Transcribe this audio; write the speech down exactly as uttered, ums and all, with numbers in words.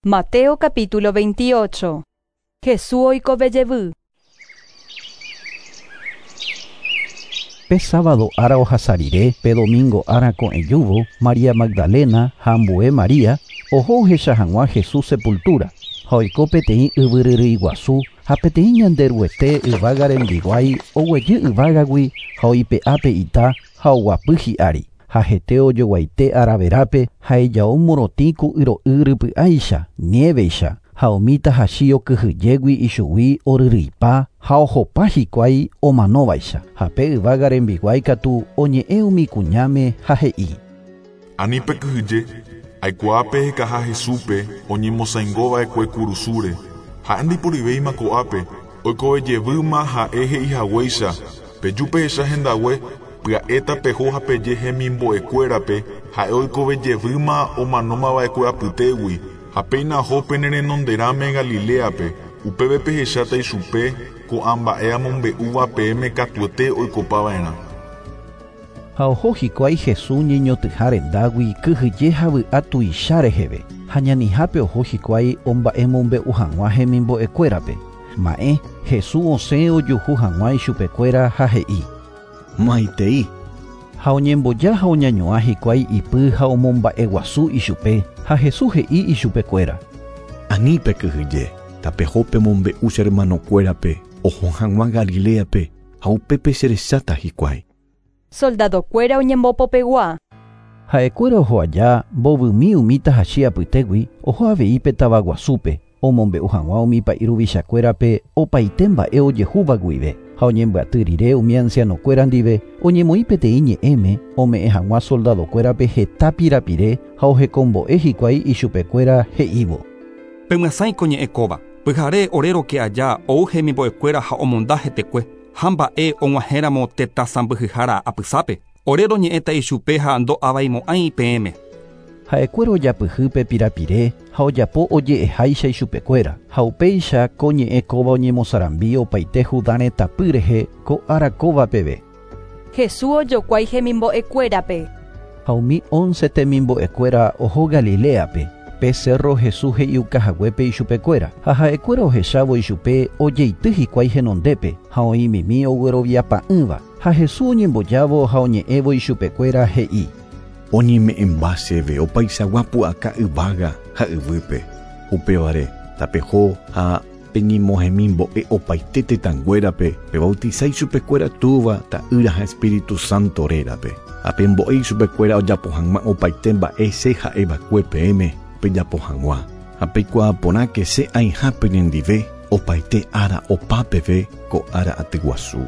Mateo capítulo veintiocho. Jesús oikove jevy. Pe sábado ára ohasa rire, pe domingo ára ko'ẽjúvo, María Magdalena ha ambue María oho ohecha hag̃ua Jesús sepultura, ha oiko peteĩ yvyryrýi guasu ha peteĩ Ñanderuete yvága rembiguái oguejy yvágagui ha oipe'a pe ita ha oguapy hi'ári. Ha hete ojoguaite araverápe ha ijao morotĩ ku yro'y rypy'áicha, niéveicha, ha umi tahachi okyhyjégui ichugui oryrýipa ha ohopa hikuái omanóvaicha. Ha pe yvága rembiguái katu oñe'ẽ umi kuñáme ha he'i. Ani pekyhyje, aikuaa pehekaha Jesúspe oñemosãingova'ekue kurusúre. Ha'e ndaiporivéima ko'ápe, oikovejevýma ha'e he'ihaguéicha, peju pehecha hendague, pya'éta peho ha peje hemimbo'ekuérape, ha'e oikovejevýma omanómava'ekue apytégui, ha péina oho pene renonderãme Galileape, upépe pehecháta ichupe ko'ã mba'e amombe'úva peẽme katuete oikopava'erã. Ha oho hikuái Jesús ñeñotyha rendágui kyhyje ha vy'a tuicha reheve, ha ñanihápe oho hikuái omba'emombe'u hag̃ua hemimbo'ekuérape. Ma'ẽ, Jesús osẽ ojuhu hag̃ua ichupekuéra ha he'i. Maitei. Ha oñemboja ha oñañuã hikuái ipy ha omomba'eguasu ichupe, ha Jesús he'i ichupekuéra. Ani pekyhyje, tapeho pemombe'u che hermanokuérape oho hag̃ua Galileape ha upépe cherecháta hikuái. Soldadokuéra oñembopopegua. Ha'ekuéra oho aja mbovymi umi tahachi apytégui oho avei pe tavaguasúpe omombe'u hag̃ua umi pa'i ruvichakuérape opaite mba'e ojehúva guive. Ha oñembyaty rire umi ancianokuéra ndive oñemoĩ peteĩ ñe'ẽme ome'ẽ hag̃ua soldadokuérape heta pirapire ha ohekombo'e hikuái ichupekuéra he'ívo. Pemyasãiko ñe'ẽ kóva, pyhare ore roke aja ou hemimbo'ekuéra ha omonda hetekue, ha mba'e og̃uahẽramo tetã sãmbyhyhára apysápe, ore roñe'ẽta ichupe ha ndo'avaimo'ãi peẽme. Ha'ekuéra ojapyhy pe pirapire ha ojapo oje'eháicha ichupekuéra, ha upéicha ko ñe'ẽ kóva oñemosarambi opaite Judá retãpy rehe ko ára kóva peve. Jesús ojokuái hemimbo'ekuérape. Ha umi once temimbo'ekuéra oho Galileape, pe cerro Jesús he'iukahaguépe ichupekuéra, ha ha'ekuéra ohechávo ichupe ojeity hikuái henondépe, ha oĩmimi ogueroviapa'ỹva, ha Jesús oñembojávo ha oñe'ẽvo ichupekuéra he'i. Oñeme'ẽmba chéve opaichagua pu'aka yvága ha yvýpe. Upévare tapeho ha peñemohemimbo'e opaite tetãnguérape pebautisa ichupekuéra Túva, Ta'ýra ha Espíritu Santo rérape. Ha pembo'e ichupekuéra ojapo hag̃ua opaite mba'e che ha'eva'ekue peẽme pejapo hag̃ua. Ha peikuaa porãke che aĩha penendive opaite ára opa peve ko ára aty guasu.